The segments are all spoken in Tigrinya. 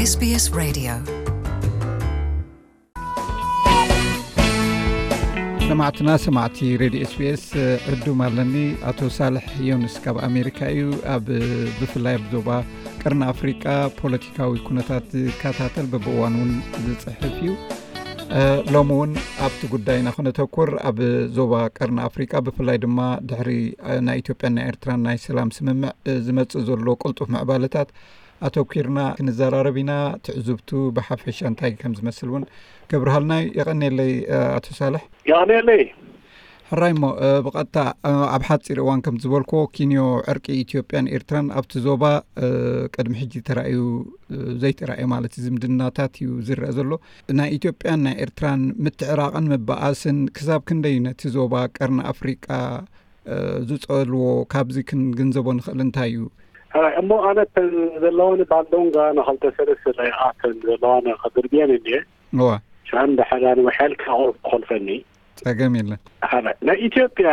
SBS Radio. ሰማዕትና ሰማዕቲ ሬድዮ ኤስቢኤስ፣ ዕዱም ኣለኒ። ኣቶ ሳልሕ ዮንስ ካብ ኣሜሪካ እዩ። ኣብ፣ ብፍላይ ኣብ ዞባ ቀርኒ ኣፍሪቃ ፖለቲካዊ ኩነታት ዝከታተል፣ በብእዋን እውን ዝጽሕፍ እዩ። እ፣ ሎሚ እውን ኣብቲ ጉዳይ ኢና ክነተኩር። ኣብ ዞባ ቀርኒ ኣፍሪቃ ብፍላይ ድማ ድሕሪ፣ እ፣ ናይ ኢትዮጵያን ናይ ኤርትራን ናይ ሰላም ስምምዕ፣ እ፣ ዝመጽእ ዘሎ ቅልጡፍ ምዕባለታት ኣተኲርና ክንዘራረብ ኢና። ትዕዝብቱ ብሓፈሻ እንታይ ከም ዝመስል እውን ከብርሃልና እዩ። የቐንየለይ፣ እ፣ ኣቶ ሳልሕ። የቐንየለይ። ሕራይ እሞ፣ እ፣ ብቐጥታ፣ እ፣ ኣብ ሓጺር እዋን ከም ዝበልክዎ፣ ኪንዮ ዕርቂ ኢትዮጵያን ኤርትራን ኣብቲ ዞባ፣ እ፣ ቅድሚ ሕጂ ተራእዩ፣ እ፣ ዘይተራእየ ማለት እዩ፣ ዝምድናታት እዩ ዝረአ ዘሎ። ናይ ኢትዮጵያን ናይ ኤርትራን ምትዕራቕን ምበኣስን ክሳብ ክንደይ ነቲ ዞባ ቀርኒ ኣፍሪቃ፣ እ፣ ዝጸልዎ፣ ካብዚ ክንግንዘቦ ንኽእል እንታይ እዩ? ሕራይ እሞ፣ ኣነ እተን ዘለዋኒ ባንዶንጋ ንኸልተ ሰለስተ ደቂቓ እተን ዘለዋኒ ከድርብየን እንድየ። እዋ። ሻን ድሕር ኣነ ውሐል ካብ ክኾልፈኒ። ጸገም የለን። ሓደ፣ ናይ ኢትዮጵያ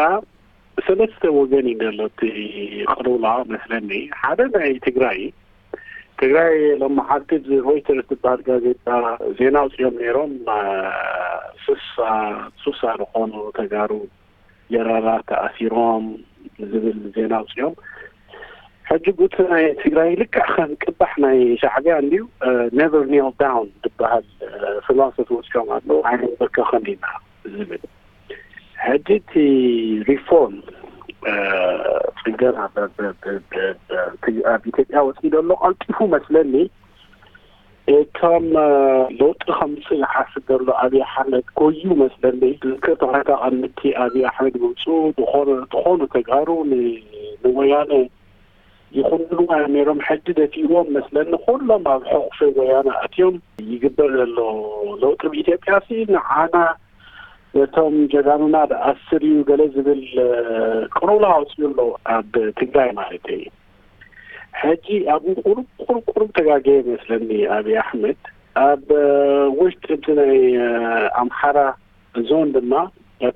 ሰለስተ ወገን እዩ ዘሎ እቲ ቅልውላው መስለኒ። ሓደ ናይ ትግራይ፣ ትግራይ ሎመዓልቲ ብሮይተርስ ዝበሃል ጋዜጣ ዜና ኣውፂኦም ነይሮም። አ፣ ስሳ፣ ሱሳ ዝኾኑ ተጋሩ ጀነራላት ተኣሲሮም ዝብል ዜና ኣውፂኦም። ሕጂ ጉቲ ናይ ትግራይ ልክዕ ከም ቅባሕ ናይ ሻዕቢያ እንድዩ፣ እ፣ never kneel down ዝበሃል፣ እ፣ ፊሎሶፊ ወሲዶም ኣለዉ። ኣይንንበርከኽን ኢና ዝብል። ሕጂ እቲ ሪፎርም፣ እ፣ ፅገና በ-፣ በ-፣ በ-፣ በ-፣ በ-፣ እቲ ኣብ ኢትዮጵያ ወፂኡ ዘሎ ቀልጢፉ መስለኒ። እቶም፣ እ፣ ለውጢ ከምፅእ ዝሓስብ ዘሎ ኣብይ ኣሕመድ ጎዩ መስለኒ። ዝዝከር ተኾይታ ቀምቲ ኣብይ ኣሕመድ ምምፅኡ ዝኾነ፣ ዝኾኑ ተጋሩ ን-፣ ንወያነ ይኹንሉ እዮም ነይሮም። ሕጂ ደፊእዎም መስለኒ። ኩሎም ኣብ ሕቑፊ ወያነ ኣትዮም። ይግበር ዘሎ ለውጢ ብኢትዮጵያ ሲ ንዓና ነቶም ጀጋኑና ዝኣስር እዩ ገለ ዝብል፣ እ፣ ቅልውላው ኣውፅኡ ኣሎ ኣብ ትግራይ ማለት እዩ። ሕጂ ኣብኡ ቁሩብ፣ ቁሩብ፣ ቁሩብ ተጋገየ መስለኒ ኣብይ ኣሕመድ። ኣብ፣ እ፣ ውሽጢ እቲ ናይ፣ እ፣ ኣምሓራ ዞን ድማ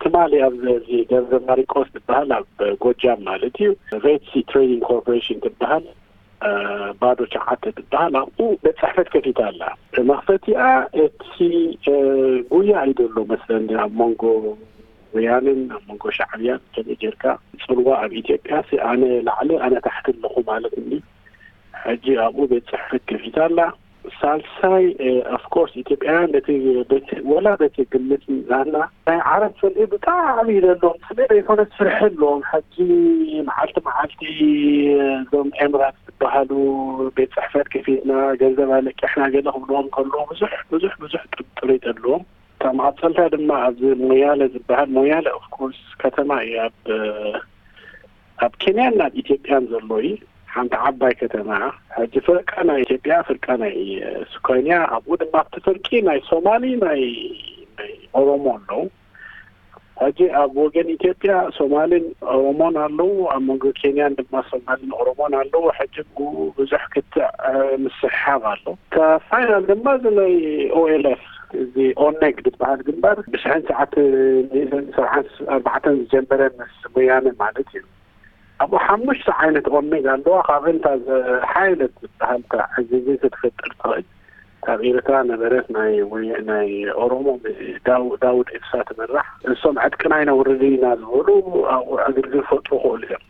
ትማሊ ኣብ እዚ ደብረ ማሪቆስ ዝበሃል ኣብ ጎጃም ማለት እዩ፣ ሬድ ሲ ትሬዲንግ ኮርፖሬሽን ትበሃል፣ እ፣ ባዶ ሸዓተ ትበሃል፣ ኣብኡ ቤት ጽሕፈት ከፊታ ኣላ። መኽፈቲኣ እቲ፣ እ፣ ጉያ እዩ ዘሎ መስለኒ ኣብ መንጎ ወያነን ኣብ መንጎ ሻዕብያን ከመይ ጌርካ ጽልዋ ኣብ ኢትዮጵያ ሲ ኣነ ላዕሊ ኣነ ታሕቲ ኣለኹ ማለት እንዲ። ሕጂ ኣብኡ ቤት ጽሕፈት ከፊታ ኣላ። ሳልሳይ፣ እ፣ ኦፍኮርስ ኢትዮጵያውያን በቲ፣ በቲ፣ ወላ በቲ ግምት ናትና ናይ ዓረብ ጽልኢ ብጣዕሚ እዩ ዘለዎም። ስለ ዘይኮነስ ፍርሒ ኣለዎም። ሕጂ መዓልቲ መዓልቲ እዞም ኤምራት ዝበሃሉ ቤት ጽሕፈት ከፊትና ገንዘብ ኣለቂሕና ገለ ክብልዎም ከለዉ ብዙሕ፣ ብዙሕ፣ ብዙሕ ጥርጥር ኣለዎም። እታ መቐጸልታ ድማ ኣብዚ ሞያለ ዝበሃል፣ ሞያለ ኦፍኮርስ ከተማ እዩ ኣብ፣ ኣብ ኬንያን ኣብ ኢትዮጵያን ዘሎ እዩ። ሓንቲ ዓባይ ከተማ እያ። ሕጂ ፍርቃ ናይ ኢትዮጵያ፣ ፍርቃ ናይ ሱካንያ፣ ኣብኡ ድማ ኣብቲ ፍርቂ ናይ ሶማሊ፣ ናይ፣ ናይ ኦሮሞ ኣለዉ። ሕጂ ኣብ ወገን ኢትዮጵያ ሶማልን ኦሮሞን ኣለዉ፣ ኣብ መንጎ ኬንያን ድማ ሶማልን ኦሮሞን ኣለዉ። ሕጂ ብኡ ብዙሕ ክትዕ፣ እ፣ ምስሕሓብ ኣሎ። እታ ፋይናል ድማ እዚ ናይ ኦኤልኤፍ፣ እዚ ኦነግ ዝበሃል ግንባር ብሽሕን ትሽዓተ ሚእትን ሰብዓን ኣርባዕተን ዝጀመረ ምስ ወያነ ማለት እዩ። ኣብኡ ሓሙሽተ ዓይነት ኦነግ ኣለዋ። ካብአን እታ ዝሓየለት ዝበሃል እታ ዕዝዝቲ ትፈጥር ትኽእል ካብ ኤርትራ ነበረት ናይ ወይ-፣ ናይ ኦሮሞ ዳው-፣ ዳውድ ኢብሳ ትምራሕ። እሶም ዕጥቅና ይነውርድ ኢና ዝበሉ ኣብኡ ዕግርግር ፈጥሩ ክእሉ እዮም።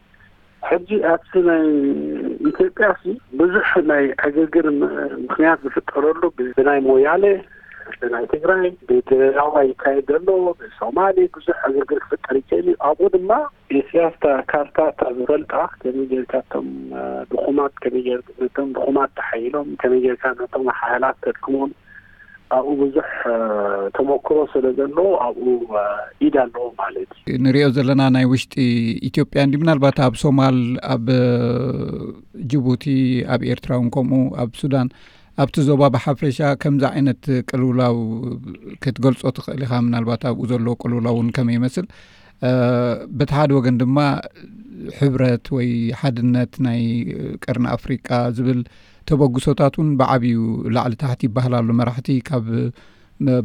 ሕጂ ኣብቲ ናይ ኢትዮጵያ ሲ ብዙሕ ናይ ዕግርግር ም-፣ ምኽንያት ዝፍጠረሉ ብ-፣ ብናይ ሞያሌ፣ ብናይ ትግራይ፣ ብድሬዳዋ ይካየድ ዘሎ፣ ብሶማሌ ብዙሕ ዕግርግር ክፍጠር ይክእል እዩ። ኣብኡ ድማ ኢሳያስ እታ ካርታ እታ ዝፈልጣ ከመይ ጌርካ እቶም፣ እ፣ ድኹማት ከመይ ጌር-፣ ነቶም ድኹማት ተሓይሎም ከመይ ጌርካ ነቶም ሓያላት ተድክሞም ኣብኡ ብዙሕ፣ እ፣ ተመክሮ ስለ ዘሎ ኣብኡ፣ እ፣ ኢድ ኣለዎ ማለት እዩ። ንሪኦ ዘለና ናይ ውሽጢ ኢትዮጵያ እንዲ ምናልባት ኣብ ሶማል፣ ኣብ፣ እ፣ ጅቡቲ፣ ኣብ ኤርትራ እውን ከምኡ፣ ኣብ ሱዳን፣ ኣብቲ ዞባ ብሓፈሻ ከምዚ ዓይነት ቅልውላው ክትገልጾ ትኽእል ኢኻ? ምናልባት ኣብኡ ዘሎ ቅልውላው እውን ከመይ ይመስል? እ፣ በቲ ሓደ ወገን ድማ ሕብረት ወይ ሓድነት ናይ ቀርኒ ኣፍሪቃ ዝብል ተበግሶታት እውን ብዓብዩ ላዕሊ ታሕቲ ይበሃል ኣሎ። መራሕቲ ካብ፣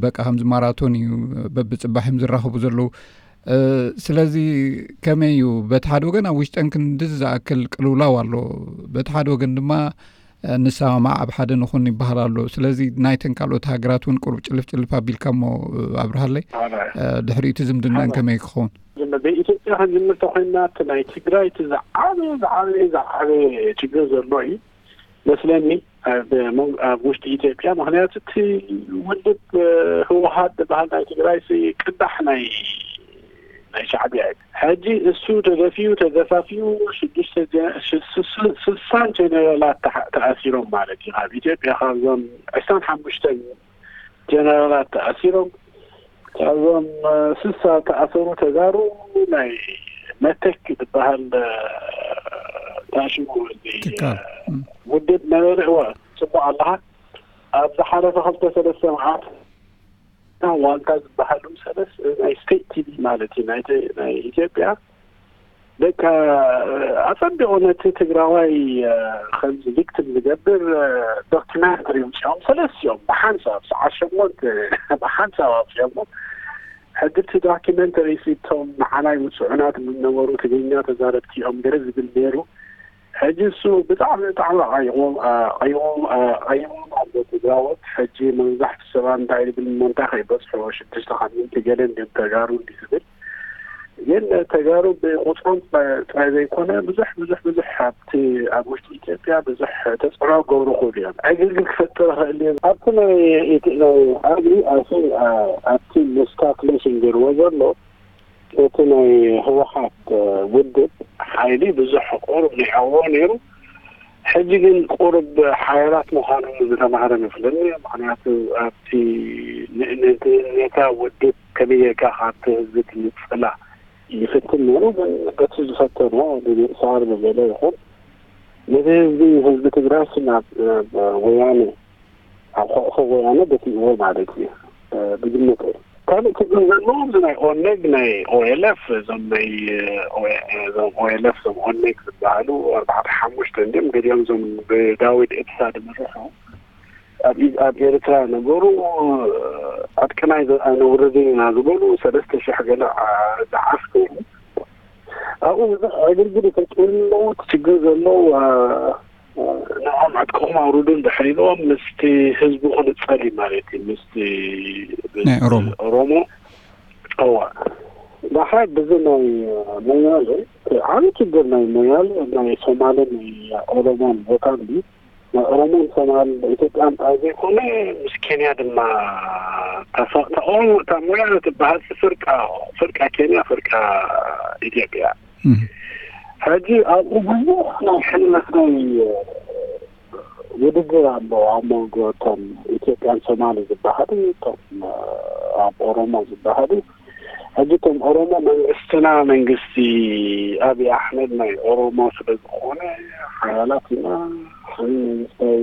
በቃ ከምዚ ማራቶን እዩ፣ በብጽባሕ እዮም ዝራኸቡ ዘለዉ። እ፣ ስለዚ ከመይ እዩ? በቲ ሓደ ወገን ኣብ ውሽጠን ክንድዚ ዝኣክል ቅልውላው ኣሎ። በቲ ሓደ ወገን ድማ እ፣ ንሰማማዕ ኣብ ሓደ ንኹን ይበሃል ኣሎ። ስለዚ ናይተን ካልኦት ሃገራት እውን ቁሩብ ጭልፍ ጭልፍ ኣቢልካ እሞ፣ እ፣ ኣብርሃለይ፣ ኣነ እ፣ ድሕሪኡ እቲ ዝምድናን ኣነ ከመይ ክኸውን? ዝም-፣ ብኢትዮጵያ ክንጅምር ተኾይንና፣ እቲ ናይ ትግራይ እቲ ዝዓበየ፣ ዝዓበየ፣ ዝዓበየ ችግር ዘሎ እዩ መስለኒ፣ ኣብ ሞን-፣ ኣብ ውሽጢ ኢትዮጵያ። ምኽንያቱ እቲ ውድብ፣ እ፣ ህወሓት ዝበሃል ናይ ትግራይ ሲ ቅዳሕ ናይ፣ ናይ ሻዕቢያ እዩ። ሕጂ እሱ ተገፊዩ፣ ተገፋፊዩ፣ ሽዱሽተ ጀ-፣ ሽ-፣ ስ-፣ ስ-፣ ስሳን ጀነራላት ተሓ-፣ ተኣሲሮም ማለት እዩ። ካብ ኢትዮጵያ ካብዞም ዕስራን ሓሙሽተን ጀነራላት ተኣሲሮም፣ ካብዞም፣ እ፣ ስሳ ተኣሰሩ ተጋሩ ናይ መተክ ዝበሃል፣ እ፣ ታሽሙ እዚ፣ ትካል። እ፣ ም። ውድብ ነበረ። እወ፣ ጽቡቕ ኣለኻ። ኣብ ዝሓለፈ ክልተ ሰለስተ መዓልቲ ዋልታ ዝበሃሉ ሰለስ ናይ ስቴት ቲቪ ማለት እዩ፣ ናይ ተ-፣ ናይ ኢትዮጵያ፣ በቃ፣ ኣጸቢቑ ነቲ ትግራዋይ፣ እ፣ ከምዚ ቪክቲም ዝገብር፣ እ፣ ዶኪመንተሪ ኣውጺኦም፣ ሰለስቲኦም ብሓንሳብ ሰዓት ሸሞንተ ብሓንሳብ ኣውጺኦሞ። ሕጂ እቲ ዶኪመንተሪ እቶም ንዓና ይውጽዑና ዝብል ነበሩ፣ ትግርኛ ተዛረብቲ እዮም ገለ ዝብል ነይሩ። ሕጂ እሱ ብጣዕሚ፣ ብጣዕሚ ኣቐይሞም፣ ኣ-፣ ኣቐይሞም፣ ኣ-፣ ኣቐይሞም ኣሎ ትግራዎት። ሕጂ መብዛሕቱ ሰባት እንታይ ይብል እሞ እንታይ ከይበጽሑ ሽዱሽተ ካብ ሚእቲ ገለ እንድዮም ተጋሩ እንዲ ዝብል። ግን ተጋሩ ብቁጽሮም ጥራይ፣ ጥራይ ዘይኮነ ብዙሕ፣ ብዙሕ፣ ብዙሕ ኣብቲ፣ ኣብ ውሽጢ ኢትዮጵያ ብዙሕ ተጽዕኖ ክገብሩ ይኽእሉ እዮም። ዕግርግር ክፈጥር ይኽእል እዩ። ኣብቲ ናይ፣ እቲ ናይ ኣብይ፣ ኣይ ቲንክ፣ ኣ-፣ ኣብቲ ምስ ካልኩሌሽን ገይርዎ ዘሎ እቲ ናይ ህወሓት፣ እ፣ ውድብ ሓይሊ ብዙሕ ቁሩብ ንዕዎ ነይሩ። ሕጂ ግን ቁሩብ ሓያላት ምዃኑ ዝተማህረ መስለኒ። ምኽንያቱ ኣብቲ ን-፣ ነቲ፣ ነታ ውድብ ከመይ ጌርካ ካብቲ ህዝቢ ትንጽላ ይፍትን ነይሩ። ግን በቲ ዝፈተኖ ብምእሳር ብገለ ይኹን ነቲ ህዝቢ፣ ህዝቢ ትግራይ ናብ፣ ናብ ወያነ ኣብ ሕቑፎ ወያነ ደፊእዎ ማለት እዩ፣ እ፣ ብግምተይ። ካልእ ችግር ዘለዎ እዚ ናይ ኦነግ፣ ናይ ኦኤልኤፍ፣ እዞም ናይ፣ እ፣ ኦኤ-፣ እዞም ኦኤልኤፍ፣ እዞም ኦነግ ዝበሃሉ ኣርባዕተ ሓሙሽተ እንድዮም። ገሊኦም እዞም ብዳዊት ኤብሳ ዝምርሑ ኣብ ኢ-፣ ኣብ ኤርትራ ነበሩ። ኣጥቅናይ ዘ-፣ ኣይነውርድን ኢና ዝበሉ ሰለስተ ሽሕ ገለ፣ ዓ-፣ ዝዓስከሩ ኣብኡ ብዙሕ ዕግርግር ይፈጥሩ ኣለዉ። እቲ ችግር ዘሎ፣ እ፣ ንዖም ዕጥቅኹም ኣውርዱ እንድሕር ኢልዎም ምስቲ ህዝቢ ክንጸል እዩ ማለት እዩ። ምስቲ ናይ ኦሮሞ። ኦሮሞ። እዋ። ዳሓር ብዚ ናይ ሞያሌ፣ ዓቢ ችግር ናይ ሞያሌ፣ ናይ ሶማልን ናይ ኦሮሞን ቦታ እንዲ ናይ ኦሮሞን ሶማልን ኢትዮጵያን ጥራይ ዘይኮነ ምስ ኬንያ ድማ ተፋ-፣ እታ ኦሮሞ፣ እታ ሞያሌ ትበሃል ፍርቃ፣ ፍርቃ ኬንያ፣ ፍርቃ ኢትዮጵያ። እም። ሕጂ ኣብኡ ብዙሕ ናይ ሕልመት ናይ ውድድር ኣሎ ኣብ መንጎ እቶም ኢትዮጵያን ሶማሊ ዝበሃሉ፣ እቶም ኣብ ኦሮሞ ዝበሃሉ። ሕጂ እቶም ኦሮሞ መንግስትና፣ መንግስቲ ኣብይ ኣሕመድ ናይ ኦሮሞ ስለ ዝኾነ ሓያላት ኢና፣ ሓይሊ መንግስታዊ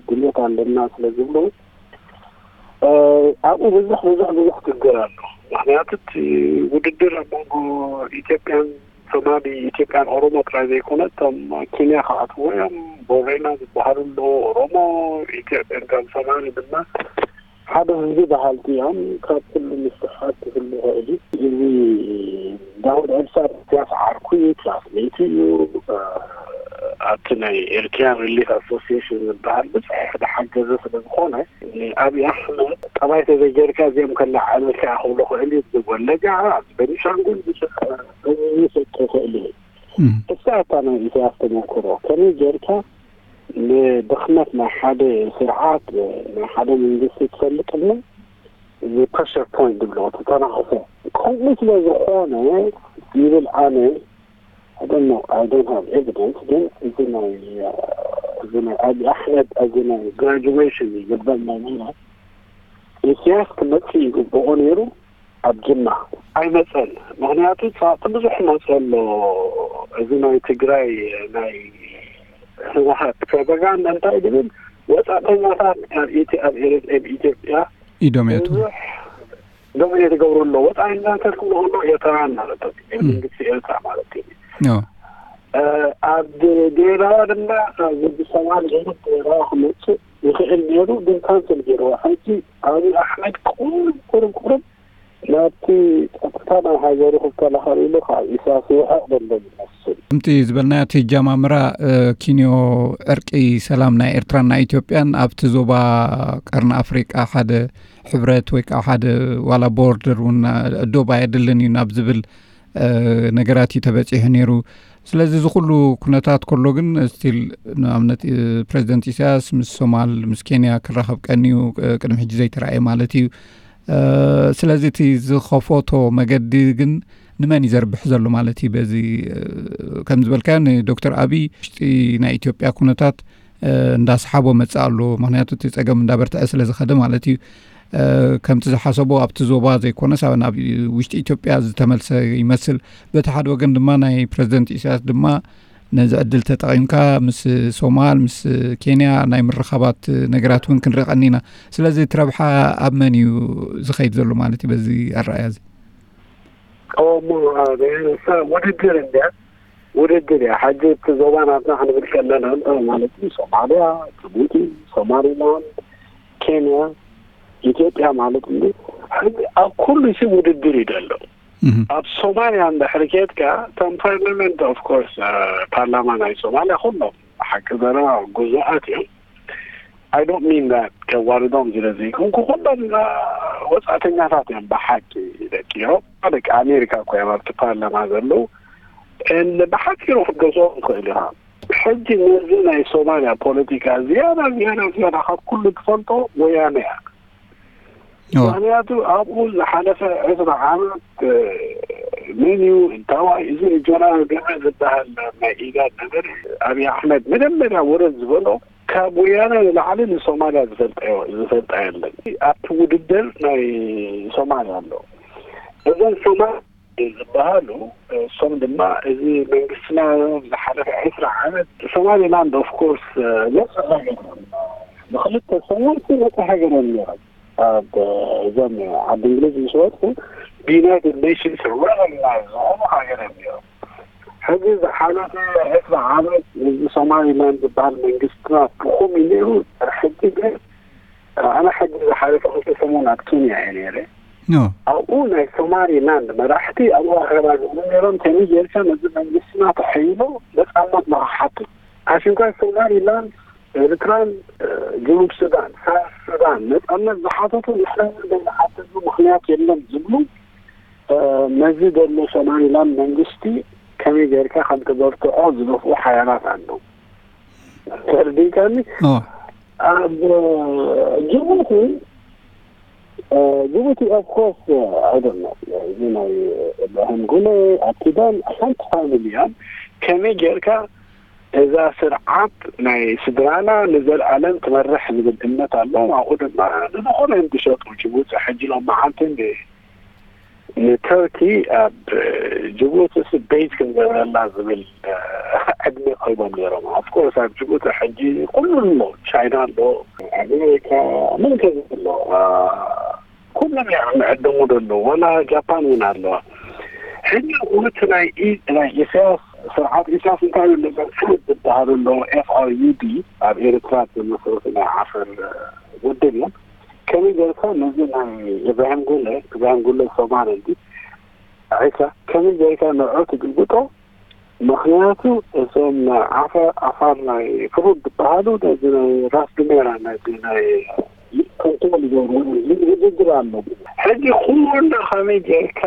ድሌት ኣለና ስለ ዝብሉ፣ እ፣ ኣብኡ ብዙሕ፣ ብዙሕ፣ ብዙሕ ችግር ኣሎ። ምኽንያቱ እቲ ውድድር ኣብ መንጎ ኢትዮጵያን ሶማሊ፣ ኢትዮጵያን ኦሮሞ ጥራይ ዘይኮነ፣ እቶም ኬንያ ክኣትዎ እዮም፣ ቦሬና ዝበሃሉ ኣለዉ፣ ኦሮሞ፣ ኢትዮጵያ፣ ካብ ሶማሊ ድማ ሓደ ህዝቢ በሃልቲ እዮም። ካብ ኩሉ ምስሕሓት ክህሉ ይኽእል እዩ። እዚ ዳውድ ዒብሳ ኢሳያስ ዓርኩ እዩ፣ ክላስሜት እዩ። እ፣ ኣብቲ ናይ ኤርትራን ሪሊፍ ኣሶሲዬሽን ዝበሃል ብዙሕ ዝሓገዘ ስለ ዝኾነ፣ ንኣብይ ኣሕመድ ጠባይ ተዘይጌርካ እዚኦም ከለዓዕለልካ እየ ክብሎ ክእል እዩ። እዚ ወለጋ፣ ኣብዚ ቤኒሻንጉል ብዙሕ፣ እ፣ ይፈጥር ይኽእል እዩ። እም። እሳ እታ ናይ ኢሳያስ ተመክሮ ከመይ ጌርካ ንድኽመት ናይ ሓደ ስርዓት፣ ናይ ሓደ መንግስቲ ትፈልጥ እሞ፣ እዚ ፕረሸር ፖይንት ዝብሎ፣ ተተናኽፎ። ከምኡ ስለ ዝኾነ ይብል ኣነ፣ I don't know, I don't have evidence፣ ግን እዚ ናይ፣ እዚ ናይ ኣብይ ኣሕመድ፣ እዚ ናይ ግራጁዌሽን ይግበር ናይ ምናት ኢሳያስ ክመጽእ ይግብኦ ነይሩ። ኣብ ጅማ ኣይመጸን። ምኽንያቱ እቲ ብዙሕ መጸ ኣሎ። እዚ ናይ ትግራይ ናይ ህወሓት ፕሮፓጋንዳ እንታይ ድብል፣ ወጻእተኛታት ኣብ ኢትዮ-፣ ኣብ ኤርትራ፣ ኣብ ኢትዮጵያ ኢዶም የእትዉ። ብዙሕ ዶሚኔት ይገብሩ ኣለዉ። ወጻእተኛታት ክብሉ ከለዉ ኤርትራውያን ማለት እዩ። እም። መንግስቲ ኤርትራ ማለት እዩ። ኦ። እ፣ ኣብ ድሬዳዋ ድማ፣ እ፣ ወዲ ሰማን ሌሊት ድሬዳዋ ክመጽእ ይኽእል ነይሩ፣ ግን ካንስል ገይርዎ። ሕጂ ኣብይ ኣሕመድ ቁሩብ፣ ቁሩብ፣ ቁሩብ ናብቲ ጸጥታ ናይ ሃገሩ ክከላኸል ኢሉ ካብ ኢሳያስ ይውሕቕ ዘሎ ይመስል። ከምቲ ዝበልናዮ፣ እቲ ጃማምራ ኪንዮ ዕርቂ ሰላም ናይ ኤርትራን ናይ ኢትዮጵያን ኣብቲ ዞባ ቀርኒ ኣፍሪቃ ሓደ ሕብረት ወይ ከዓ ሓደ ዋላ ቦርደር እውን ዶብ ኣየድልን እዩ ናብ ዝብል ነገራት እዩ ተበፂሑ ነይሩ። ስለዚ እዚ ኩሉ ኩነታት ከሎ ግን ስቲል ንኣብነት ፕሬዚደንት ኢሳያስ ምስ ሶማል ምስ ኬንያ ክራኸብ ቀንዩ ቅድሚ ሕጂ ዘይተረኣየ ማለት እዩ። ስለዚ እቲ ዝኸፈቶ መገዲ ግን ንመን እዩ ዘርብሕ ዘሎ ማለት እዩ? በዚ ከም ዝበልካዮ ንዶክተር ኣብይ ውሽጢ ናይ ኢትዮጵያ ኩነታት እንዳሰሓቦ መጽእ ኣሎ። ምክንያቱ እቲ ጸገም እንዳበርትዐ ስለ ዝኸደ ማለት እዩ። ከምቲ ዝሓሰቦ ኣብቲ ዞባ ዘይኮነስ ናብ ውሽጢ ኢትዮጵያ ዝተመልሰ ይመስል። በቲ ሓደ ወገን ድማ ናይ ፕሬዚደንት ኢሳያስ ድማ ነዚ ዕድል ተጠቒምካ ምስ ሶማል ምስ ኬንያ ናይ ምርኻባት ነገራት እውን ክንርኢ ቀኒና። ስለዚ እቲ ረብሓ ኣብ መን እዩ ዝኸይድ ዘሎ ማለት እዩ በዚ ኣረኣያ እዚ? እሞ ውድድር እንድያ፣ ውድድር እያ። ሕጂ እቲ ዞባ ናትና ክንብል ከለና ማለት እዩ ሶማልያ፣ ጅቡቲ፣ ሶማሊላንድ፣ ኬንያ፣ ኢትዮጵያ ማለት እዩ። ሕጂ ኣብ ኩሉ ሲ ውድድር እዩ ዘሎ። ኣብ ሶማልያ እንድሕር ኬድካ እቶም ፓርላመንት ኦፍ ኮርስ ፓርላማ ናይ ሶማልያ ኩሎም ብሓቂ ዘረባ ግዙኣት እዮም። I don't mean that ከዋርዶም ስለ ዘይኮንኩ ኩሎም ወፃእተኛታት እዮም ብሓቂ። ደቂ ኤሮፓ ደቂ ኣሜሪካ እኮ እዮም ኣብቲ ፓርላማ ዘለዉ። ብሓፂሩ ክትገልፆ ትኽእል ኢኻ። ሕጂ ነዚ ናይ ሶማልያ ፖለቲካ ዝያዳ ዝያዳ ዝያዳ ካብ ኩሉ ትፈልጦ ወያነ እያ። ምክንያቱ ኣብኡ ዝሓለፈ ዕስራ ዓመት መን እዩ እንታዋይ እዚ ጀነራል ገበ ዝበሃል ናይ ኢጋድ ነገር ኣብይ ኣሕመድ መጀመርያ ወረድ ዝበሎ ካብ ወያነ ንላዕሊ ንሶማልያ ዝፈልጣ የለን። ኣብቲ ውድድር ናይ ሶማልያ ኣሎ። እዞም ሶማል ዝበሃሉ እሶም ድማ እዚ መንግስትና ዝሓለፈ ዕስራ ዓመት ሶማሊላንድ ኦፍ ኮርስ ነፃ ሃገር ንክልተ ሰሙን ነፃ ሃገር እዮም ነይሮም። ኣብ እዞም ዓዲ እንግሊዝ ምስ ወፁ ብዩናይትድ ኔሽንስ ሪኮግናይዝ ዝኾኑ ሃገር እዮም ነይሮም። ሕዚ ዝሓለፈ ዕስራ ዓመት እዚ ሶማሊላንድ ዝበሃል መንግስትና ድኹም እዩ ነይሩ። ሕጂ ግን ኣነ ሕጂ ዝሓለፈ ክልተ ሰሙን ኣብ ኬንያ እየ ነይረ። ኣብኡ ናይ ሶማሊላንድ መራሕቲ ኣብኡ ኣኼባ ዝብሉ ነይሮም። ከመይ ጌርካ ነዚ መንግስትና ተሐይሎ ነፃነት ንክሓቱ ኣሽንኳይ ሶማሊላንድ ኤርትራን ጅኑብ ሱዳን ሳውት ሱዳን ነፃነት ዝሓተቱ ንሕና እውን ዘይንሓተሉ ምክንያት የለን ዝብሉ ነዚ ዘሎ ሶማሊላንድ መንግስቲ ከመይ ጌርካ ከም ተበርትዖ ዝደፍኡ ሓያላት ኣለዉ። ተርዲካኒ ኣብ ጅቡቲ ጅቡቲ ኦፍ ኮርስ ኣይደለ እዚ ናይ እብራሂም ጉለ ኣኪዳን ሓንቲ ፋሚሊ እዮም። ከመይ ጌርካ እዛ ስርዓት ናይ ስድራና ንዘለኣለም ትመርሕ ዝብል እምነት ኣለዎም። ኣብኡ ድማ ንዝኾነ እዮም ዝሸጡ። ጅቡቲ ሕጂ ሎም መዓልቲ ንተርኪ ኣብ ጅቡቲ ቤዝ ክንገብረላ ዝብል ዕድመ ቀሪቦም ነይሮም። ኦፍኮርስ ኣብ ጅቡቲ ሕጂ ኩሉ ኣሎ፣ ቻይና ኣሎ፣ ኣሜሪካ ምን ከዚ ኣሎ፣ ኩሎም እዮም ዕደሙ ዘሎ፣ ወላ ጃፓን እውን ኣለዋ። ሕጂ እቲ ናይ ናይ ኢሳያስ ስርዓት ኢሳያስ እንታይ እዩ ዝበሃል ዝበሃሉ ኣለዉ ኤፍ ኣር ዩ ዲ ኣብ ኤርትራ ዝመስረቱ ናይ ዓፈር ውድብ እዮም። ከመይ ጌርካ ነዚ ናይ ኢብራሂም ጉለ ኢብራሂም ጉለ ሶማል እንዲ ዒሳ ከመይ ጌርካ ንዑ ትግልብጦ? ምክንያቱ እዞም ዓፋር ናይ ፍሩድ ዝበሃሉ ነዚ ናይ ራስ ዱሜራ ነዚ ናይ ኮንትሮል ይገብሩ ውድድር ኣሎ። ሕጂ ኩሉ ከመይ ጌርካ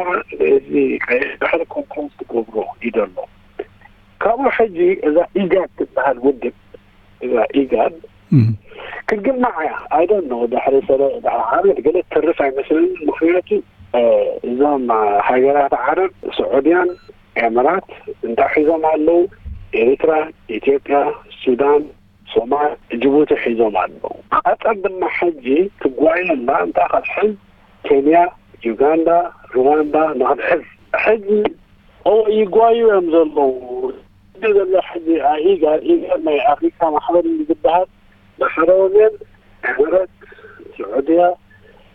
እዚ ቀይሕ ባሕሪ ኮንትሮል ትገብሮ እዩ ዘሎ። ካብኡ ሕጂ እዛ ኢጋድ ትበሃል ውድብ እዛ ኢጋድ ክትግማዕ እያ። I don't know ድሕሪ ሰለ ድሕሪ ዓመት ገለ ትርፍ ኣይመስለንን። ምክንያቱ እዞም ሃገራት ዓረብ ስዑድያን ኤምራት እንታይ ሒዞም ኣለዉ? ኤርትራ፣ ኢትዮጵያ፣ ሱዳን፣ ሶማል፣ ጅቡቲ ሒዞም ኣለዉ። ቀጠር ድማ ሕጂ ትጓየና እንታይ ክትሕዝ ኬንያ፣ ዩጋንዳ፣ ሩዋንዳ ንክትሕዝ ሕጂ እወ ይጓዩ እዮም ዘለዉ። እዚ ዘሎ ሕጂ ኢጋድ ኢጋድ ናይ ኣፍሪካ ማሕበር እዩ ዝበሃል። ብሓደ ወገን ሕረት ስዑድያ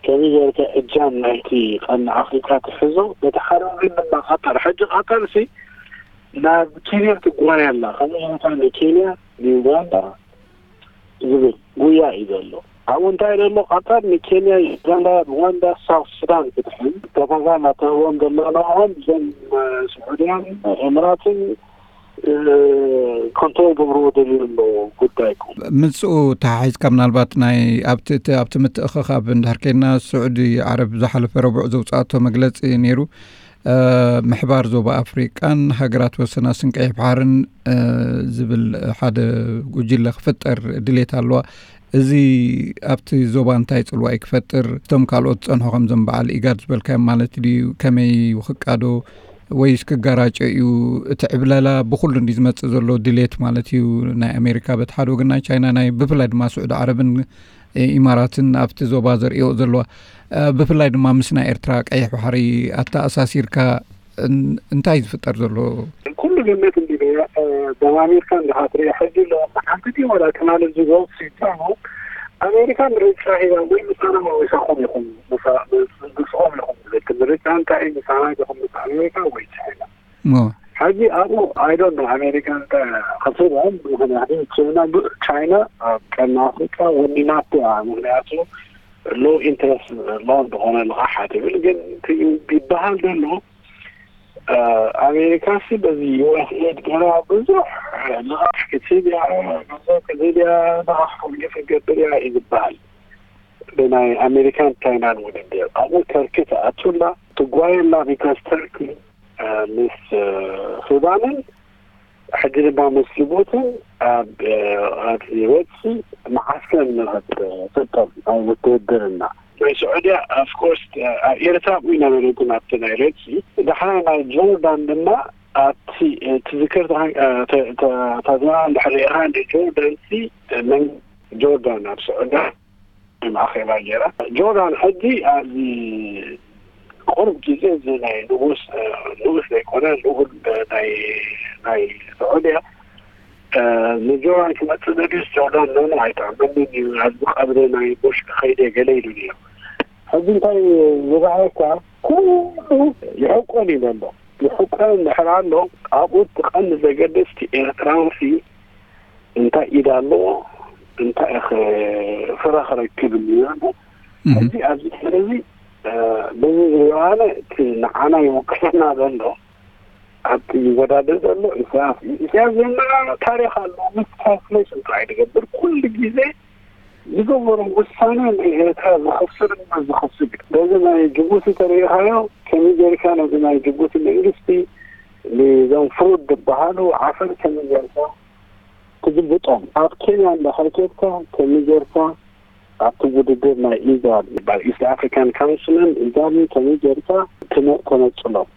ከመይ ጌርካ እጃም ናይቲ ቀርኒ ኣፍሪካ ትሕዞ፣ በቲ ሓደ ወገን ድማ ቀጠር ሕጂ ቀጠር ሲ ናብ ኬንያ ትጓየ ኣላ። ከመይ ጌርካ ንኬንያ ንዩጋንዳ ዝብል ጉያ እዩ ዘሎ። ኣብኡ እንታይ ዘሎ ቀጠር ንኬንያ፣ ዩጋንዳ፣ ሩዋንዳ፣ ሳውት ሱዳን ክትሕዝ ተፈዛ እናተህቦም ዘሎ ንኦም እዞም ስዑድያን ኤምራትን ኮንትሮል ገብርዎ ደልዩ ኣሎ ጉዳይኩም። ምስኡ ተሓሒዝካ ምናልባት ናይ ኣብቲ እቲ ኣብቲ ምትእኽኻብ እንድሕር ከይድና፣ ስዑዲ ዓረብ ዝሓለፈ ረቡዕ ዘውፅኣቶ መግለፂ ነይሩ። ምሕባር ዞባ ኣፍሪቃን ሃገራት ወሰናስን ቀይሕ ባሕርን ዝብል ሓደ ጉጅለ ክፍጠር ድሌት ኣለዋ። እዚ ኣብቲ ዞባ እንታይ ጽልዋ እዩ ክፈጥር? እቶም ካልኦት ጸንሖ ከምዞም በዓል ኢጋድ ዝበልካዮም ማለት ድዩ? ከመይ ክቃዶ ወይስ ክጋራጨ እዩ? እቲ ዕብለላ ብኹሉ እንዲ ዝመጽእ ዘሎ ድሌት ማለት እዩ። ናይ ኣሜሪካ በቲ ሓደ ወገን፣ ናይ ቻይና፣ ናይ ብፍላይ ድማ ስዑዲ ዓረብን ኢማራትን ኣብቲ ዞባ ዘርእዮ ዘለዋ፣ ብፍላይ ድማ ምስ ናይ ኤርትራ ቀይሕ ባሕሪ ኣተኣሳሲርካ እንታይ ዝፍጠር ዘሎ? ኩሉ ግምት እንዲ ደማሚርካ እንዲኻ ትሪኦ። ሕጂ ኣሎ ሓንቲ ድዩ ዋላ ትማሊ ዝጎል ሲትራሞ ኣሜሪካ ምርጫ ሂባ ወይ ምሳና ወይ ምሳኹም ኢኹም፣ ምስኦም ኢኹም ዝብል ምርጫ እንታይ እዩ? ምሳና ኢኹም ምስ ኣሜሪካ ወይ ቻይና? ሕጂ ኣብኡ ኣይዶን ኣሜሪካ እንታይ ከስርኦም። ምክንያቱ ቻይና ቻይና ኣብ ቀርኒ ኣፍሪካ ወኒናቶ እያ። ምክንያቱ ሎ ኢንትረስት ሎ እንደሆነ ልቃሓ ትብል። ግን ይበሃል ዘሎ ኣሜሪካ ሲ በዚ ዩኤስኤድ ገና ብዙሕ ልቃሕ ክትህብ እያ፣ ገንዘብ ክትህብ እያ፣ ልቃሕ ኮሚኒኬሽን ክትገብር እያ እዩ ዝበሃል። ብናይ ኣሜሪካን ቻይናን ውድድር ኣብኡ ተርኪ ትኣቱላ ትጓየላ። ቢካስ ተርኪ ምስ ሱዳንን ሕጂ ድማ ምስ ጅቡትን ኣብ ኣቲ ወፂ መዓስከር ንክትፍጠር ናይ ውትህድርና ናይ ስዑድያ ኣፍኮርስ ኣብ ኤርትራ ኣብኡ ይነበረ። ግን ኣብቲ ናይ ሬድሲ ዳሕና ናይ ጆርዳን ድማ ኣብቲ ትዝክር ታዝና ድሕሪኻ ንጆርዳን ሲ መንግስቲ ጆርዳን ኣብ ስዑድያ ማእኸላ ገይራ። ጆርዳን ሕጂ ኣብዚ ቁሩብ ግዜ እዚ ናይ ንጉስ ንጉስ ዘይኮነ ልኡል ናይ ናይ ስዑድያ ንጆርዳን ክመፅእ ዘድልስ ጆርዳን ኖኖ ኣይጠዕመንን እዩ፣ ኣብዚ ቀብሪ ናይ ቡሽ ክኸይደ ገለ ኢሉ ነይሩ። ሕጂ እንታይ ዝረኣየካ ኩሉ ይሕቆን እዩ ዘሎ። ይሕቆን እንድሕር ኣሎ ኣብኡ እቲ ቀንዲ ዘገደስቲ ኤርትራውሲ እንታይ ኢድ ኣለዎ እንታይ ፍረ ክረክብ እዩ ዘሎ። ሕጂ ኣብዚ ሕዚ በዚ ዝረኣነ እቲ ንዓና ይውክለና ዘሎ ኣብቲ ይወዳደር ዘሎ ኢሳያስ እዩ። ኢሳያስ ዘና ታሪክ ኣለዎ። ምስ ትራንስሌሽን ጥራይ ዝገብር ኩሉ ግዜ ዝገበሮ ውሳነ ንኤርትራ ዝኸስር እማ ዝኸስር እዩ። በዚ ናይ ጅቡቲ ተሪኢኻዮ ከመይ ጌርካ ነዚ ናይ ጅቡቲ መንግስቲ ንዞም ፍሩድ ዝበሃሉ ዓፈር ከመይ ጌርካ ትግልብጦም? ኣብ ኬንያ እንዳኸይከድካ ከመይ ጌርካ ኣብቲ ውድድር ናይ ኢጋድ ዝበሃል ኢስት ኣፍሪካን ካውንስልን ኢጋድን ከመይ ጌርካ ትነ- ተነጽሎም?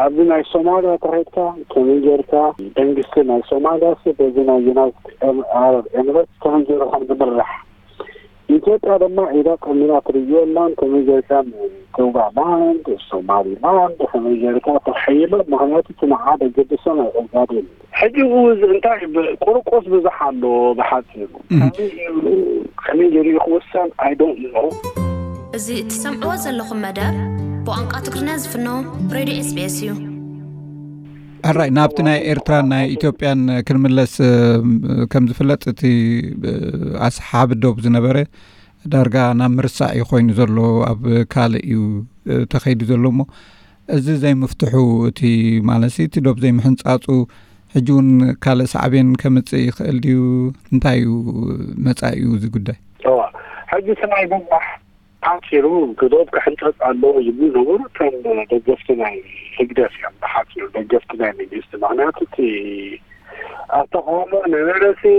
ኣብዚ ናይ ሶማልያ ተኸድካ ከመይ ጌርካ መንግስቲ ናይ ሶማልያ ሲ በዚ ናይ ዩናይትድ ኤም- ኣረብ ኤምሬትስ ከመይ ጌሩ ከም ዝምራሕ ኢትዮጵያ ድማ ኢዳ ቀሚራ ትርእዮ ኣላን ከመይ ጌርካ ቶጋላንድ ሶማሊላንድ ከመይ ጌርካ ተሓይሎ? ምክንያቱ እቲ ንዓ ደገድሶ ናይ ኦጋዴን እዩ። ሕጂ እውን እንታይ ብ- ቁርቁስ ብዙሕ ኣሎ ብሓፂሩ ከመይ ገይሩ ከመይ ገይሩ እዩ ክውሰን? I don't know። እዚ እትሰምዕዎ ዘለኹም መደብ ብቋንቋ ትግርኛ ዝፍኖ ሬድዮ ኤስቢኤስ እዩ። ሕራይ ናብቲ ናይ ኤርትራን ናይ ኢትዮጵያን ክንምለስ ከም ዝፍለጥ እቲ ኣስሓቢ ዶብ ዝነበረ ዳርጋ ናብ ምርሳዕ እዩ ኮይኑ ዘሎ። ኣብ ካልእ እዩ ተኸይዱ ዘሎ እሞ እዚ ዘይምፍትሑ እቲ ማለት እቲ ዶብ ዘይምሕንፃፁ ሕጂ እውን ካልእ ሳዕቤን ከምፅእ ይኽእል ድዩ? እንታይ እዩ መፃኢኡ እዚ ጉዳይ? እዋ ሕጂ እቲ ናይ ዶብ ሓፂሩ ዶብ ክሕንፀፅ ኣለዎ ይብሉ ነበሩ እቶም ደገፍቲ ናይ ህግደፍ እዮም። ብሓፂሩ ደገፍቲ ናይ መንግስቲ ምክንያቱ እቲ ኣብ ተቃውሞ ነበረ ሲ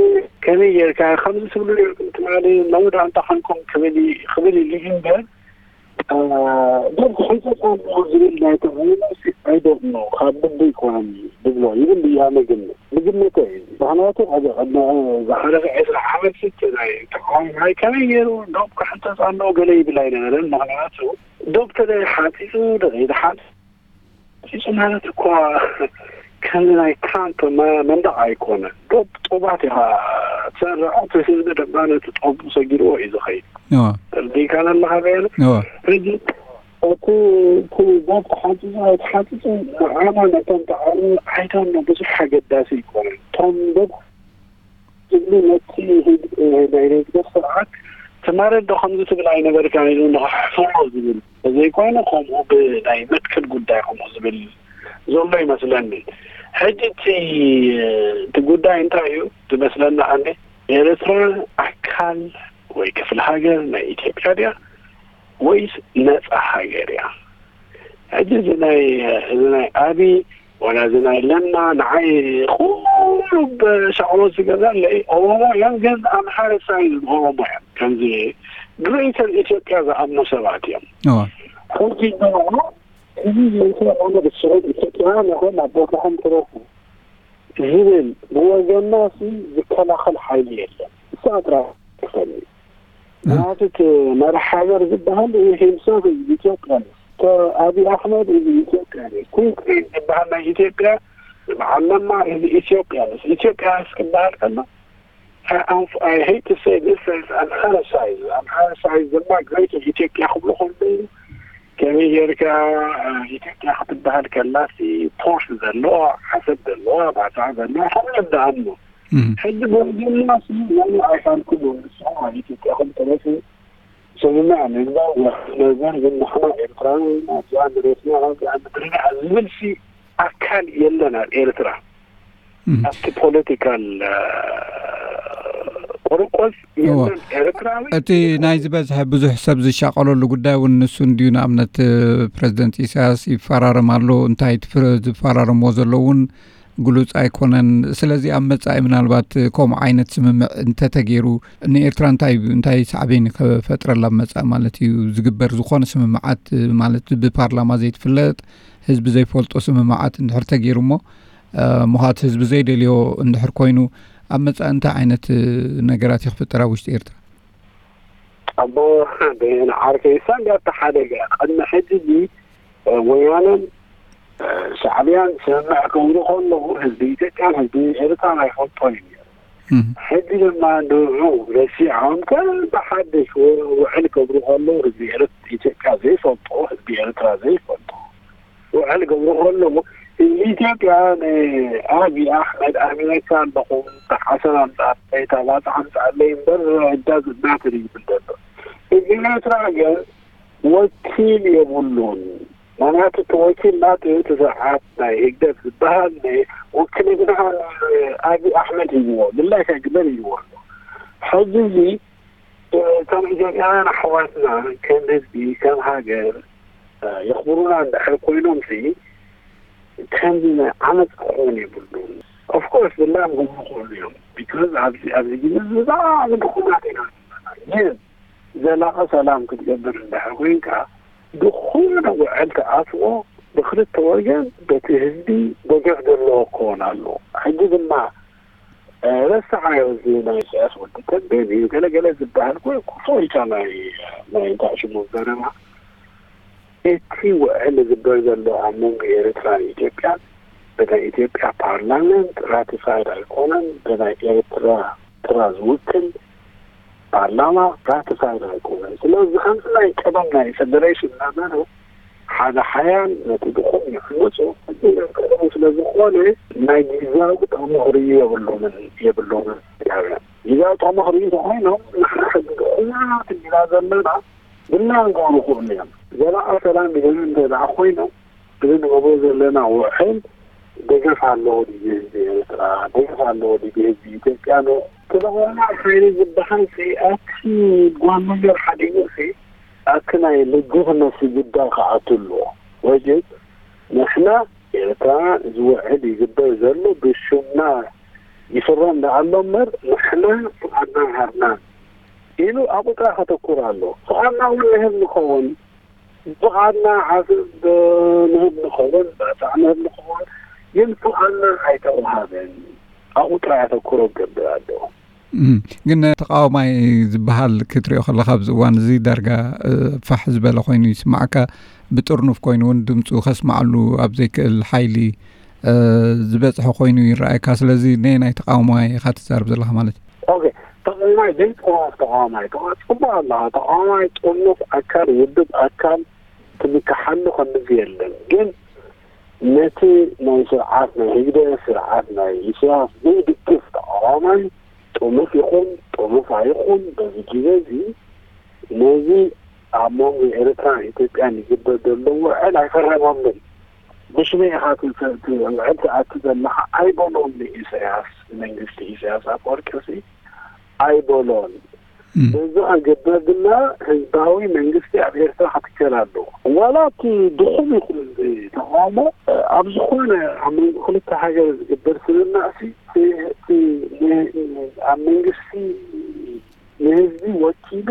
ከመይ ጌርካ ከምዚ ትብሉ ኔርኩም ትማሊ ሎሚ ደኣ እንታይ ኮንኩም ክብል ክብል ኢሉ እዩ እምበር ዶብ ክሕንፀፅ ኣለዎ ዝብል ናይ ተቃውሞ ሲ I don't know ካብ ልቡ ኣይኮነን ዝብሎ ይብል እያ መግምት ብግምተ እዩ። ምክንያቱ ኣብ ቅድሚ ዝሓለፈ ዕስራ ዓመት ሲ ናይ ተቃዋማይ ከመይ ገይሩ ዶብ ክሕንፀፅ ኣለዎ ገለ ይብል ኣይነበረን። ምክንያቱ ዶብ ተደይ ሓፂፁ ደይ ሓፂፁ ማለት እኳ ከምዚ ናይ ትራምፕ መ- መንደቕ ኣይኮነ። ዶብ ጡባት ኢኻ ትሰርዖ፣ እቲ ህዝቢ ድማ ነቲ ጦቡ ሰጊርዎ እዩ ዝኸይድ። እዋ ተርዲእካ ኣለኻ በየነ? እዋ ሕጂ እቲ እቲ ዶብ ተሓፂፁ ኣይተሓፂፁ ንዓና ነቶም ተቃዋሚ I don't know ብዙሕ ኣገዳሲ ኣይኮነን። እቶም ዶብ ዝብሉ ነቲ ህግ- ናይ ህግደፍ ስርዓት ትማሊ ዶ ከምዚ ትብል ኣይነበርካን ኢሉ ንኽሕፍሮ ዝብል ተዘይኮይኑ ከምኡ ብናይ መትከል ጉዳይ ከምኡ ዝብል ዘሎ ይመስለኒ። ሕጂ እቲ እቲ ጉዳይ እንታይ እዩ ዝመስለና? ኣነ ኤርትራ ኣካል ወይ ክፍለ ሃገር ናይ ኢትዮጵያ ድያ ወይስ ነጻ ሃገር እያ? ሕጂ እዚ ናይ እዚ ናይ ኣቢ ዋላ እዚ ናይ ለማ ንዓይ ኩሉ ብሻዕሎት ዝገዛለይ ኦሮሞ እዮም፣ ግን ኣምሓረ ሳይዝ ኦሮሞ እዮም። ከምዚ ግሬተር ኢትዮጵያ ዝኣምኑ ሰባት እዮም። ሕጂ ደሞ እዚ ዘይኮነ ብስዑድ ኢትዮጵያ ነኾን ኣብ ቦታኹም ትረፉ ዝብል ብወገና ሲ ዝከላኸል ሓይሊ የለን። እሳ ጥራሕ ትኸኒ ምክንያቱ እቲ መራሕ ሃገር ዝበሃል ሂምሰልፍ ኢትዮጵያ እዩ። ኣቢ ኣሕመድ እዚ ኢትዮጵያ እዩ። ኩንክሪት ዝበሃል ናይ ኢትዮጵያ በዓል ለማ እዚ ኢትዮጵያ እዩ። ኢትዮጵያ እስክበሃል ከሎ ኣምሓረ ሳይዝ ኣምሓረ ሳይዝ ድማ ግሬተር ኢትዮጵያ ክብሉ ከለዉ ከመይ ጌርካ ኢትዮጵያ ክትበሃል ከላሲ ፖርት ዘለዋ ዓሰብ ዘለዋ ባጽዕ ዘለዋ ከምኡ እዮም ዝኣምኑ። ሕጂ በዚ ድማ ስምምዕ ኣይፋልኩም ንስኹም ኣብ ኢትዮጵያኹም ተረፉ ስምምዕ ምግባር ወርሒ ነበር ግን ንሕና ኤርትራዊ ኢና እዚኣ መሬትና እዚኣ ምድርና ዝብል ሲ ኣካል የለን ኣብ ኤርትራ ኣብቲ ፖለቲካል ቆርቆስ የለን ኤርትራዊ እቲ ናይ ዝበዝሐ ብዙሕ ሰብ ዝሻቀለሉ ጉዳይ እውን ንሱ እንድዩ። ንኣብነት ፕረዚደንት ኢሳያስ ይፈራረም ኣሎ እንታይ ዝፈራረምዎ ዘሎ እውን ግሉጽ ኣይኮነን። ስለዚ ኣብ መጻኢ ምናልባት ከምኡ ዓይነት ስምምዕ እንተተገይሩ ንኤርትራ እንታይ እንታይ ሳዕቤን ክፈጥረላ ኣብ መጻኢ ማለት እዩ ዝግበር ዝኾነ ስምምዓት ማለት ብፓርላማ ዘይትፍለጥ ህዝቢ ዘይፈልጦ ስምምዓት እንድሕር ተገይሩ እሞ ምዃት ህዝቢ ዘይደልዮ እንድሕር ኮይኑ ኣብ መጻኢ እንታይ ዓይነት ነገራት ይኽፍጠር ኣብ ውሽጢ ኤርትራ? ኣቦ ንዓርከይ ሳንዳ ተሓደገ ቅድሚ ሕጂ ወያነን ሻዕብያን ስምምዕ ክብሉ ከለዉ ህዝቢ ኢትዮጵያን ህዝቢ ኤርትራን ኣይፈልጦን እዩ ነይሩ። ሕጂ ድማ ንዑ ረሲዖም ከም ብሓድሽ ውዕል ክብሉ ከለዉ ህዝቢ ኤርት- ኢትዮጵያ ዘይፈልጦ ህዝቢ ኤርትራ ዘይፈልጦ ውዕል ክብሉ ከለዉ ህዝቢ ኢትዮጵያ ንኣብይ ኣሕመድ ኣሜሪካ ኣለኹ ዓሰብ ኣምፅኣለይ ታባፅ ኣምፅኣለይ እምበር እዳ ዝናትር ይብል ዘሎ። ህዝቢ ኤርትራ ግን ወኪል የብሉን። ምክንያቱ እቲ ወኪል ናቱ እቲ ስርዓት ናይ ህግደፍ ዝበሃል ውክልና ንኣብይ ኣሕመድ ሂብዎ ምላሽ ኣይግበር ኢልዎ ኣሎ። ሕዚ እዚ ከም ኢትዮጵያውያን ኣሕዋትና ከም ህዝቢ ከም ሃገር የኽብሩና እንድሕር ኮይኖም ሲ ከምዚ ናይ ዓመፅ ክኾን የብሉን። ኦፍኮርስ ብላም ክብሉ ክኽእሉ እዮም። ቢካዝ ኣብዚ ኣብዚ ግዜ ብጣዕሚ ድኹማት ኢና ዘለና። ግን ዘላቒ ሰላም ክትገብር እንድሕር ኮይንካ ዝኾነ ውዕል ትኣትዎ ብክልተ ወገን በቲ ህዝቢ ደገፍ ዘለዎ ክኸውን ኣለዎ። ሕጂ ድማ ረስዓዮ እዚ ናይ ኢሳያስ ወዲ ተንቤን እዩ ገለገለ ዝበሃል ኮ ክፉ ኢልካ ናይ ናይ እንታይ ሽሙ ዘረባ እቲ ውዕል ዝግበር ዘሎ ኣብ መንጎ ኤርትራን ኢትዮጵያን ብናይ ኢትዮጵያ ፓርላመንት ራቲፋይድ ኣይኮነን፣ ብናይ ኤርትራ ኤርትራ ዝውክል ፓርላማ ራቲፋይድ ኣይኮነን። ስለዚ ከምዚ ናይ ቀደም ናይ ፌደሬሽን እናበሉ ሓደ ሓያል ነቲ ድኹም ይሕምፁ። እዚ ናይ ቀደም ስለ ዝኾነ ናይ ግዛዊ ጥቕሚ ክርእዩ የብሎምን የብሎምን ኢትዮጵያውያን። ግዛዊ ጥቕሚ ክርእዩ እንተኾይኖም ንሕና ሕጂ ድኹማት እንዲና ዘለና ብላን ክኾኑ ይኽእሉ እዮም። ዘላቒ ሰላም ይደልዩ እንተ ደኣ ኮይኖም እዚ ንገብሮ ዘለና ውዕል ደገፍ ኣለዎ ድዩ ህዝቢ ኤርትራ? ደገፍ ኣለዎ ድዩ ህዝቢ ኢትዮጵያ? ን ተደኾና ሓይሊ ዝበሃል ሲ ኣብቲ ጓል ነገር ሓዲጉ ሲ ኣብቲ ናይ ልጅትመሲ ጉዳይ ክኣቱ ኣለዎ። ወይስ ንሕና ኤርትራ እዚ ውዕል ይግበር ዘሎ ብሽምና ይፍረም ደኣ ኣሎ እምበር ንሕና ፍቓድና ሃብና ኢሉ ኣብኡ ጥራሕ ከተኩር ኣሎ። ፍቓድና እውን ንህብ ንኸውን ብፍቓድና ዓሰብ ንህብ ንኸውን ባጽዕ ንህብ ንኸውን ግን ፍቓድና ኣይተውሃበን። ኣብኡ ጥራይ ኣተኩሮ ክገብር ኣለዎ። ግን ተቃዋማይ ዝበሃል ክትሪኦ ከለካ ኣብዚ እዋን እዚ ዳርጋ ፋሕ ዝበለ ኮይኑ ይስማዓካ። ብጥርኑፍ ኮይኑ እውን ድምፁ ከስማዓሉ ኣብ ዘይክእል ሓይሊ ዝበፅሐ ኮይኑ ይረኣየካ። ስለዚ ነየናይ ተቃዋማይ ኢካ ትዛረብ ዘለካ ማለት እዩ? ኦኬ፣ ተቃዋማይ ዘይጥዋፍ ተቃዋማይ ተቃ- ፅቡቅ ኣለካ። ተቃዋማይ ጥርኑፍ ኣካል ውድብ ኣካል ትምክሓሉ ከምዚ የለን። ግን ነቲ ናይ ስርዓት ናይ ህግደፍ ስርዓት ናይ ኢሳያስ ዘይድግፍ ተቃዋማይ ጥሙፍ ይኹን ጥሙፍ ኣይኹን በዚ ግዜ እዚ ነዚ ኣብ መንጎ ኤርትራን ኢትዮጵያን ይግበር ዘሎ ውዕል ኣይፈረመሉን። ብሽመይ ኢኻ ትውዕል ትኣቱ ዘለኻ ኣይበሎን። ንኢሳያስ፣ ንመንግስቲ ኢሳያስ ኣፈወርቂ ሲ ኣይበሎን። በዚ ክግበር ድማ ህዝባዊ መንግስቲ ኣብ ኤርትራ ክትከል ኣለዎ። ዋላ እቲ ድኹም ይኹን ተቃውሞ ኣብ ዝኾነ ኣብ መንጎ ክልተ ሃገር ዝግበር ስምምዕ ሲ እቲ ኣብ መንግስቲ ንህዝቢ ወኪሉ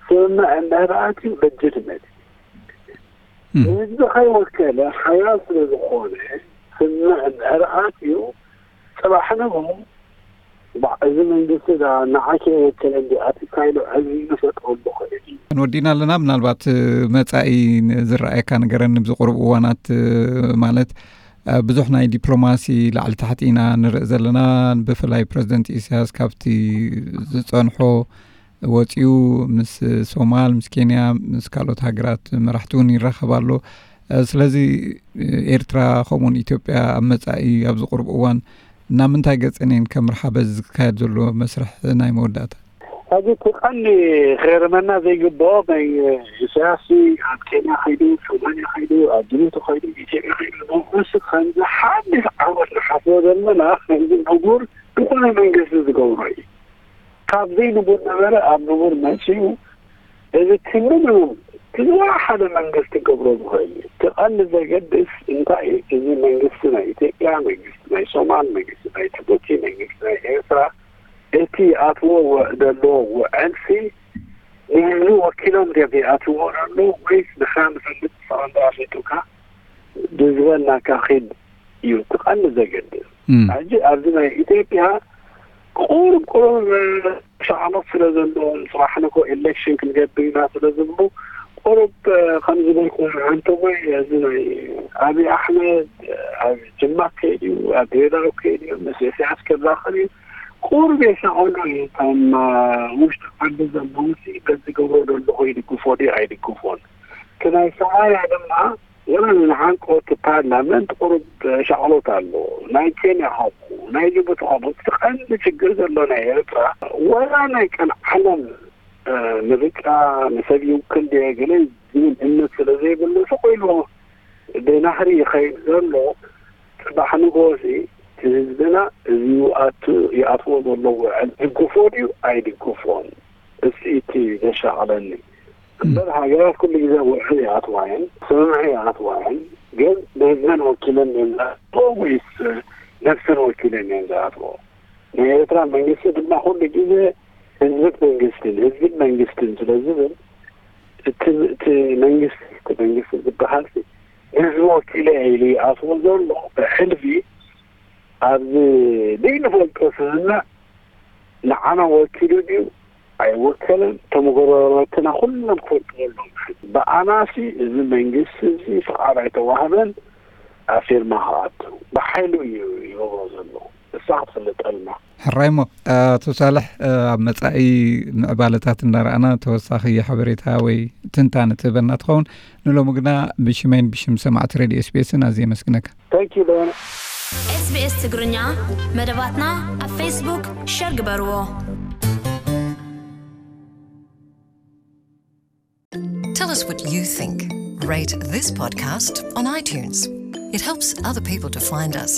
ስምምዕ እንድሕር ኣትዩ ለጅትመት ንህዝቢ ከይወከለ ሓያል ስለ ዝኾነ ስምምዕ እንድሕር ኣትዩ ጽባሕ ንግሆ እዚ መንግስቲ ንዓኪ የወከለ እንዲ ኣቲ ካይሎ ዕዝዩ ዝፈጥረሉ ክእል እዩ። ወዲና ኣለና። ምናልባት መጻኢ ዝረኣየካ ነገረን ብዝቁርብ እዋናት ማለት ብዙሕ ናይ ዲፕሎማሲ ላዕሊ ታሕቲ ኢና ንርኢ ዘለና። ብፍላይ ፕረዚደንት ኢሳያስ ካብቲ ዝጸንሖ ወጺኡ ምስ ሶማል፣ ምስ ኬንያ፣ ምስ ካልኦት ሃገራት መራሕቲ እውን ይራኸብ ኣሎ። ስለዚ ኤርትራ ከምኡውን ኢትዮጵያ ኣብ መጻኢ ኣብዚ ቁርብ እዋን ናብ ምንታይ ገጸን እየን ከምርሓ በዚ ዝካየድ ዘሎ መስርሕ ናይ መወዳእታ? ሕዚ እቲ ቀንዲ ክገርመና ዘይግብኦ ናይ ኢሳያስ ኣብ ኬንያ ከይዱ፣ ሶማልያ ከይዱ፣ ኣብ ጅቡቲ ከይዱ፣ ኢትዮጵያ ከይዱ፣ ንሱ ከምዚ ሓድሽ ዓወት ንሓስቦ ዘለና ከምዚ ንቡር ዝኾነ መንግስቲ ዝገብሮ እዩ። ካብ ዘይንቡር ነበረ ኣብ ንቡር መፅዩ። እዚ ክምንም ክዝዋ ሓደ መንግስቲ ክገብሮ ዝኽእል እዩ። እቲ ቀንዲ ዘገድስ እንታይ እዩ? እዚ መንግስቲ ናይ ኢትዮጵያ፣ መንግስቲ ናይ ሶማል፣ መንግስቲ ናይ ጅቡቲ፣ መንግስቲ ናይ ኤርትራ እቲ ኣትዎ ዘሎ ውዕልሲ ንህዝቢ ወኪሎም ድዮም ይኣትዎ ዘሎ ወይስ ንሕና ንፈልጥ ፈቐንዶ ኣፍሊጡካ ብዝበልናካ ኺድ እዩ እቲ ቀንዲ ዘገድስ። ሕጂ ኣብዚ ናይ ኢትዮጵያ ቁሩብ ቁሩብ ሻዕሎት ስለ ዘለዎም፣ ጽባሕ ንግሆ ኤሌክሽን ክንገብር ኢና ስለ ዝብሉ፣ ቁሩብ ከም ዝበልኩ፣ ሓንተቦይ፣ እዚ ናይ ኣብይ ኣሕመድ ኣብ ጅማ ከይድ እዩ፣ ኣብ ድሬዳዋ ከይድ እዩ፣ ምስ ኢሳያስ ክራኸብ እዩ፣ ቁሩብ የሻቕሉ እዩ። እቶም ውሽጢ ዓዲ ዘለዉ ሲ በዚ ገብሮ ዘለኹ ይድግፎ ድዩ ኣይድግፎን? እቲ ናይ ሶማልያ ድማ ወላ ንዓንቀወቲ ፓርላመንት ቁሩብ ሻቕሎት ኣለዎ። ናይ ኬንያ ከምኡ፣ ናይ ጅቡቲ ከምኡ። እቲ ቀንዲ ችግር ዘሎ ናይ ኤርትራ፣ ወላ ናይ ቀን ዓለም ምርጫ ንሰብ ይውክል ድየ ገለ ዝብል እምነት ስለ ዘይብሉ፣ ስቕ ኢሉ ብናህሪ ይኸይድ ዘሎ። ጽባሕ ንግሆ ሲ እቲ ህዝብና እዚ ይኣቱ-፣ ይኣትዎ ዘሎ ውዕል ይድግፎ ድዩ ኣይድግፎን? እሱ እቲ ዘሻቕለኒ። እምበር ሃገራት ኩሉ ግዜ ውዕል ይኣትዋ እየን፣ ስምምዕ ይኣትዋ እየን። ግን ንህዝበን ወኪለን እየን ዝኣትዎ ወይስ ነብሰን ወኪለን እየን ዝኣትዎ? ናይ ኤርትራ መንግስቲ ድማ ኩሉ ግዜ ህዝብን መንግስትን፣ ህዝብን መንግስትን ስለ ዝብል፣ እቲ፣ እቲ መንግስቲ፣ እቲ መንግስቲ ዝበሃል ንህዝቢ ወኪለ እየ ኢሉ ይኣትዎ ዘሎ ብሕልፊ ኣብዚ ዘይንፈልጦ ስምምዕ ንዓና ወኪሉ ድዩ ኣይወከለን? እቶም ጎረባብትና ኩሎም ክፈልጥዎ ኣለዎም። ብኣናሲ እዚ መንግስቲ እዚ ፍቓድ ኣይተዋህበን ኣብ ፊርማ ክኣቱ። ብሓይሉ እዩ ይገብሮ ዘሎ። እሳ ክትፍለጠልና። ሕራይ እሞ፣ ኣቶ ሳልሕ፣ ኣብ መጻኢ ምዕባለታት እንዳረኣና ተወሳኺ ሓበሬታ ወይ ትንታነ ትህበና ትኸውን። ንሎሚ ግና ብሽመይን ብሽም ሰማዕቲ ሬድዮ ኤስቢኤስን ኣዝየ የመስግነካ። Thank you, Lorna. SBS ትግርኛ መደባትና ኣብ ፌስቡክ ሸር ግበርዎ። Tell us what you think. Rate this podcast on iTunes. It helps other people to find us.